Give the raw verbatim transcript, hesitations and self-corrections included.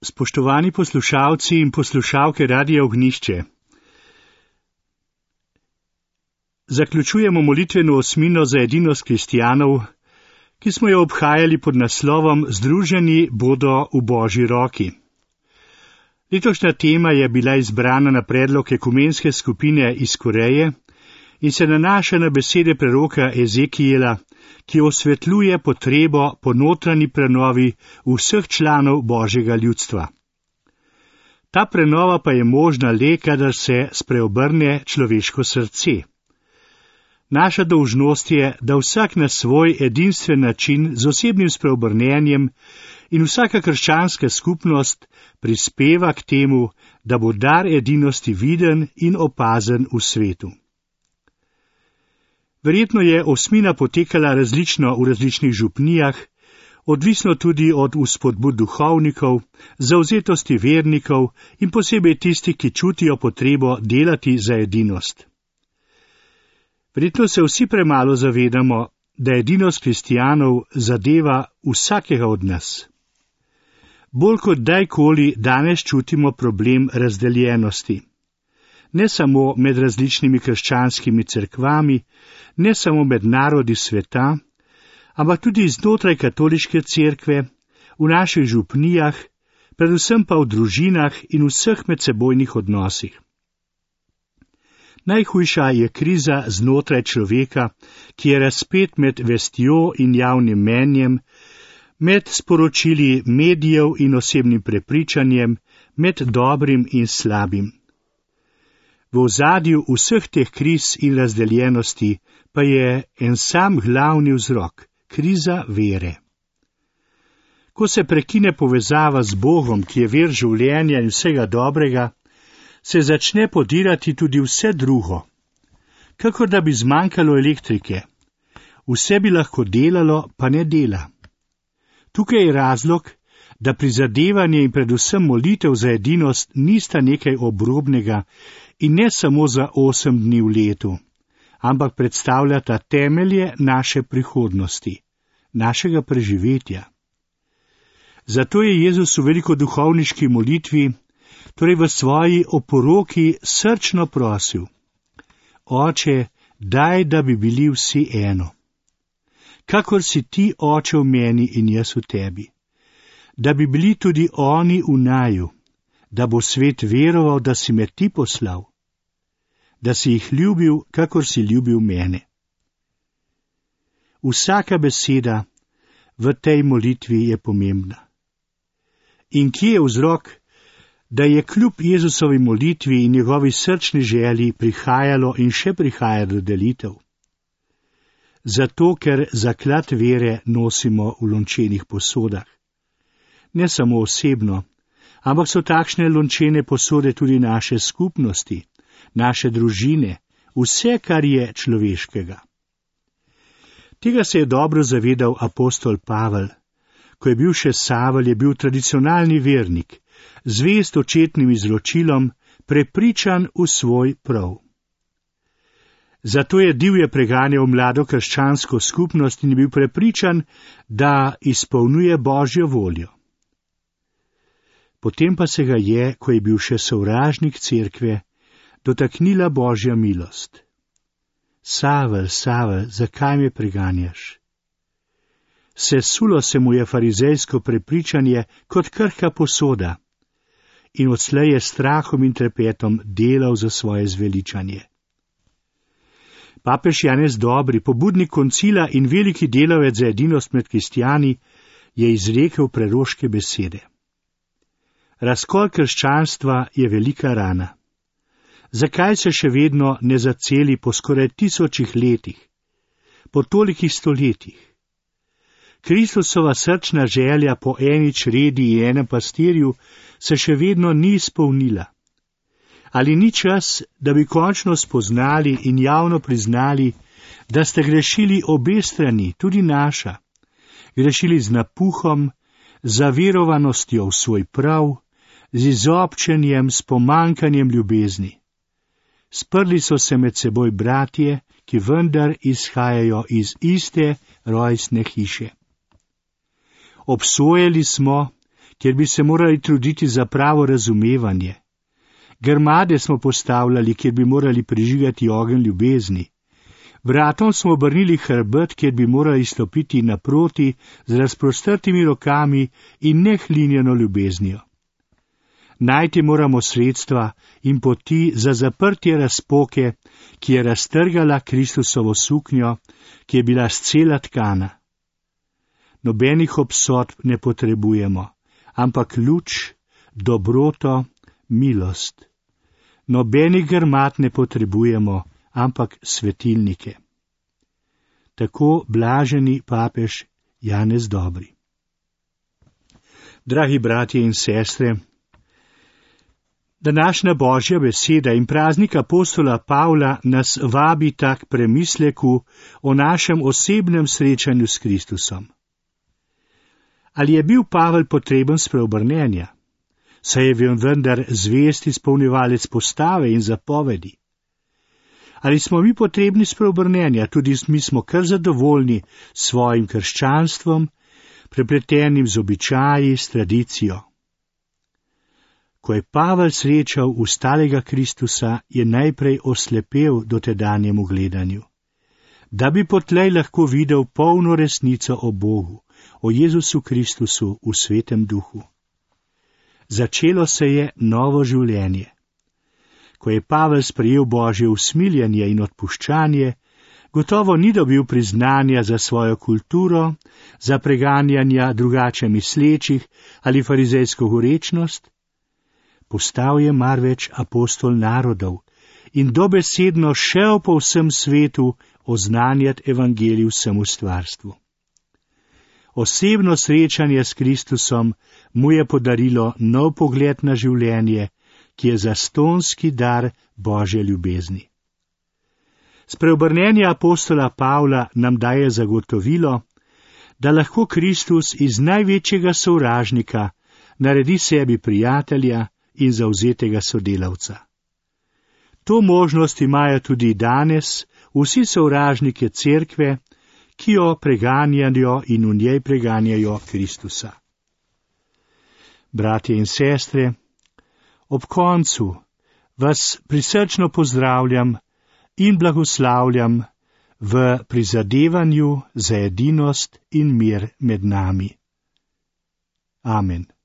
Spoštovani poslušalci in poslušalke Radia Ognjišče. Zaključujemo molitveno osmino za edinost kristjanov, ki smo jo obhajali pod naslovom Združeni bodo v Božji roki. Letošnja tema je bila izbrana na predlog ekumenske skupine iz Koreje in se nanaša na besede preroka Ezekijela, ki osvetljuje potrebo po notranji prenovi vseh članov Božjega ljudstva. Ta prenova pa je možna le, kadar se spreobrne človeško srce. Naša dolžnost je, da vsak na svoj edinstven način z osebnim spreobrnenjem in vsaka krščanska skupnost prispeva k temu, da bo dar edinosti viden in opazen v svetu. Verjetno je osmina potekala različno v različnih župnijah, odvisno tudi od vzpodbud duhovnikov, zavzetosti vernikov in posebej tistih, ki čutijo potrebo delati za edinost. Verjetno se vsi premalo zavedamo, da edinost kristjanov zadeva vsakega od nas. Bolj kot dajkoli danes čutimo problem razdeljenosti. Ne samo med različnimi krščanskimi cerkvami, ne samo med narodi sveta, ampak tudi znotraj katoliške cerkve, v naših župnijah, predvsem pa v družinah in vseh medsebojnih odnosih. Najhujša je kriza znotraj človeka, ki je razpet med vestjo in javnim mnenjem, med sporočili medijev in osebnim prepričanjem, med dobrim in slabim. V ozadju vseh teh kriz in razdeljenosti pa je en sam glavni vzrok, kriza vere. Ko se prekine povezava z Bogom, ki je vir življenja in vsega dobrega, se začne podirati tudi vse drugo. Kakor da bi zmanjkalo elektrike. Vse bi lahko delalo, pa ne dela. Tukaj je razlog, da prizadevanje in predvsem molitev za edinost nista nekaj obrobnega in ne samo za osem dni v letu, ampak predstavljata temelje naše prihodnosti, našega preživetja. Zato je Jezus v velikoduhovniški molitvi, torej v svoji oporoki, srčno prosil: Oče, daj, da bi bili vsi eno. Kakor si ti, Oče, v meni in jaz v tebi. Da bi bili tudi oni v naju, da bo svet veroval, da si me ti poslal, da si jih ljubil, kakor si ljubil mene. Vsaka beseda v tej molitvi je pomembna. In kje je vzrok, da je kljub Jezusovi molitvi in njegovi srčni želji prihajalo in še prihaja do delitev? Zato, ker zaklad vere nosimo v lončenih posodah. Ne samo osebno, ampak so takšne lončene posode tudi naše skupnosti, naše družine, vse, kar je človeškega. Tega se je dobro zavedal apostol Pavel. Ko je bil še Savel, je bil tradicionalni vernik, zvest očetnim izročilom, prepričan v svoj prav. Zato je divje preganjal mlado krščansko skupnost in je bil prepričan, da izpolnjuje Božjo voljo. Potem pa se ga je, ko je bil še sovražnik cerkve, dotaknila Božja milost. Savel, Savel, zakaj me preganjaš? Sesulo se mu je farizejsko prepričanje kot krhka posoda in odslej je strahom in trepetom delal za svoje zveličanje. Papež Janez Dobri, pobudnik koncila in veliki delavec za edinost med kristjani, je izrekel preroške besede. Razkol krščanstva je velika rana. Zakaj se še vedno ne zaceli po skoraj tisočih letih, po tolikih stoletjih? Kristusova srčna želja po eni čredi in enem pastirju se še vedno ni izpolnila. Ali ni čas, da bi končno spoznali in javno priznali, da ste grešili obe strani, tudi naša, grešili z napuhom, zaverovanostjo v svoj prav, z izobčenjem, s pomankanjem ljubezni. Sprli so se med seboj bratje, ki vendar izhajajo iz iste rojstne hiše. Obsojali smo, kjer bi se morali truditi za pravo razumevanje. Grmade smo postavljali, kjer bi morali prižigati ogenj ljubezni. Vratom smo obrnili hrbet, kjer bi morali stopiti naproti z razprostrtimi rokami in nehlinjeno ljubeznijo. Najti moramo sredstva in poti za zaprtje razpoke, ki je raztrgala Kristusovo suknjo, ki je bila scela tkana. Nobenih obsodb ne potrebujemo, ampak luč, dobroto, milost. Nobenih grmad ne potrebujemo, ampak svetilnike. Tako blaženi papež Janez Dobri. Dragi bratje in sestre, današnja Božja beseda in praznik apostola Pavla nas vabi tak premisleku o našem osebnem srečanju s Kristusom. Ali je bil Pavel potreben spreobrnenja? Saj je vendar zvest izpolnjevalec postave in zapovedi. Ali smo mi potrebni spreobrnenja, tudi mi smo kar zadovoljni s svojim krščanstvom, prepletenim z običaji, s tradicijo. Ko je Pavel srečal ustalega Kristusa, je najprej oslepel dotedanjemu gledanju, da bi potlej lahko videl polno resnico o Bogu, o Jezusu Kristusu v svetem duhu. Začelo se je novo življenje. Ko je Pavel sprejel Božje usmiljenje in odpuščanje, gotovo ni dobil priznanja za svojo kulturo, za preganjanja drugače mislečih ali farizejsko gorečnost. Postal je marveč apostol narodov in dobesedno šel po vsem svetu oznanjati evangelij vsemu stvarstvu. Osebno srečanje s Kristusom mu je podarilo nov pogled na življenje, ki je zastonski dar Božje ljubezni. Spreobrnenje apostola Pavla nam daje zagotovilo, da lahko Kristus iz največjega sovražnika naredi sebi prijatelja in zavzetega sodelavca. To možnost imajo tudi danes vsi sovražniki cerkve, ki jo preganjajo in v njej preganjajo Kristusa. Bratje in sestre, ob koncu vas prisrčno pozdravljam in blagoslavljam v prizadevanju za edinost in mir med nami. Amen.